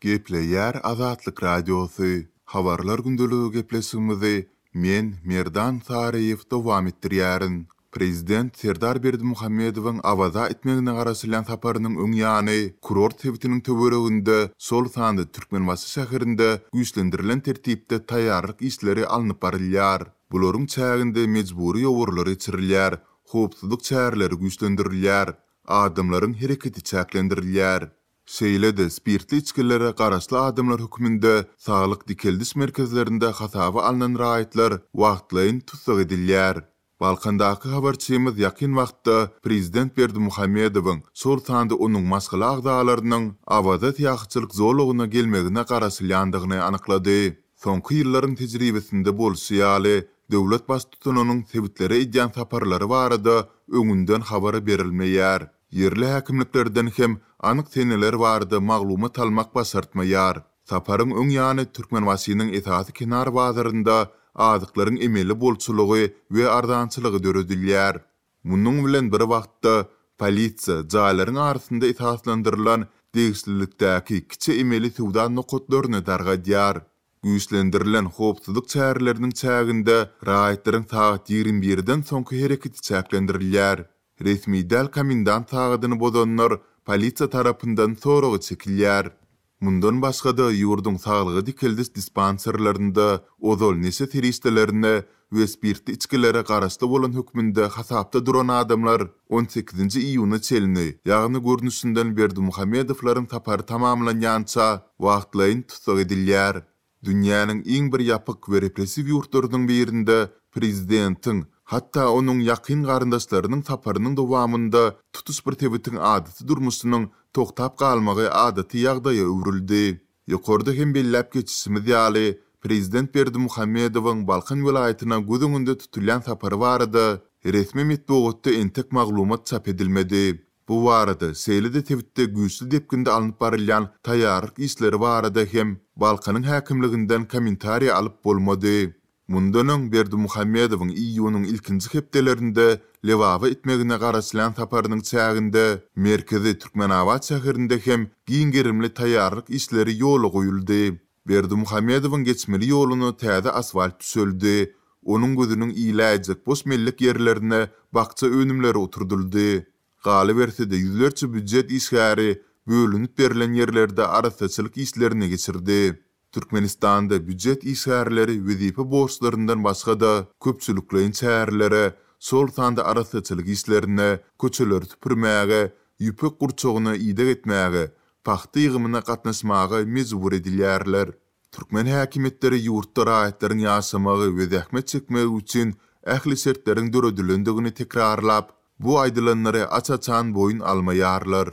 Gepleýär Azatlyk Radiosy, Habarlar gündeligi gepleşigimizi men, Merdan Saryýew dowam etdirýärin. Prezident Serdar Berdimuhamedowyň Awaza etmegine garaşylýan saparynyň öň ýany, kurort sebitiniň töwereginde, şol sanda Türkmenbaşy şäherinde güýçlendirilen tertipde taýýarlyk işleri alnyp barylýar. Bularyň çäginde mejbury ýowarlar geçirilýär, howpsuzlyk çäreleri güýçlendirilýär, adamlaryň hereketi çäklendirilýär. Şeýle-de spirtli içgilere garaşly adamlar hökmünde saglyk dikeldiş merkezlerinde hasaba alnan raýatlar wagtlaýyn tussag edilýär. Balkandaky habarçymyz ýakyn wagtda prezident Berdimuhamedowyň, şol sanda onuň maşgala agzalarynyň Awaza syýahatçylyk zolagyna gelmegine garaşylýandygyny anyklady. Soňky ýyllaryň tejribesinde bolşy ýaly, döwlet baştutanynyň sebitlere edýän saparlary barada öňünden habar berilmeýär. Ýerli häkimliklerden hem anyk seneler barada maglumat almak başartmaýar. Saparyň öň ýany Türkmenbaşynyň esasy kenar bazarynda azyklaryň emeli bolçulygy we arzançylygy döredilýär. Munuň bilen bir wagtda, polisiýa jaýlaryň arasynda esaslandyrylan degişlilikdäki kiçi emeli söwda nokatlaryny dargadýar. Güýçlendirilen howpsuzlyk çäreleriniň çäginde raýatlaryň sagat 21-den soňky hereketi çäklendirilýär. Resmi däl komendant sagadyny bozanlar polisiýa tarapyndan soraga çekilýär. Mundan başga-da, ýurduň saglygy dikeldiş dispanserlerinde ozal neşe serişdelerine we spirtli içgilere garaşly bolan hökmünde hasapda duran adamlar on sekizinji iýuna çenli, ýagny görnüşinden Berdimuhamedowlaryň sapary tamamlanýança wagtlaýyn tussag edilýär. Dünýäniň iň bir ýapyk we repressiw ýurtlarynyň birinde prezidentiň, hatda onuň ýakyn garyndaşlarynyň saparynyň dowamynda tutuş bir sebitiň adaty durmuşynyň togtap galmagy adaty ýagdaýa öwrüldi. Ýokarda hem belläp geçişimiz ýaly, prezident Berdimuhamedowyň Balkan welaýatyna göz öňünde tutulýan sapary barada resmi metbugatda entek maglumat çap edilmedi. Bu barada, şeýle-de sebitde güýçli depginde alnyp barylýan taýýarlyk işleri barada hem Balkanyň häkimliginden kommentariý alyp bolmady. Mundan öň Berdimuhamedowyň iýunyň ilkinji hepdelerinde Lebaba etmegine garaşylýan saparynyň çäginde merkezi Türkmenabat şäherinde hem giň gerimli taýýarlyk işleri ýola goýuldy. Berdimuhamedowyň geçmeli ýoluna täze asfalt düşeldi, onuň gözüniň iläýjek boş mellek ýerlerine bakja önümleri oturdyldy. Galyberse-de, ýüzlerçe býujet işgäri bölünip berlen ýerlerde arassaçylyk işlerini geçirdi. Türkmenistanda býujet işgärleri wezipe borçlaryndan başga-da, köpçülikleýin çärelere, şol sanda arassaçylyk işlerine, köçeleri süpürmäge, ýüpek gurçugyna ideg etmäge, pagta ýygymyna gatnaşmaga mejbur edilýärler. Türkmen häkimiýetleri ýurtda raýatlaryň ýaşamagy we zähmet çekmegi üçin ähli şertleriň döredilendigini tekrarlap, bu aýdylanlary aç-açan boýun almaýarlar.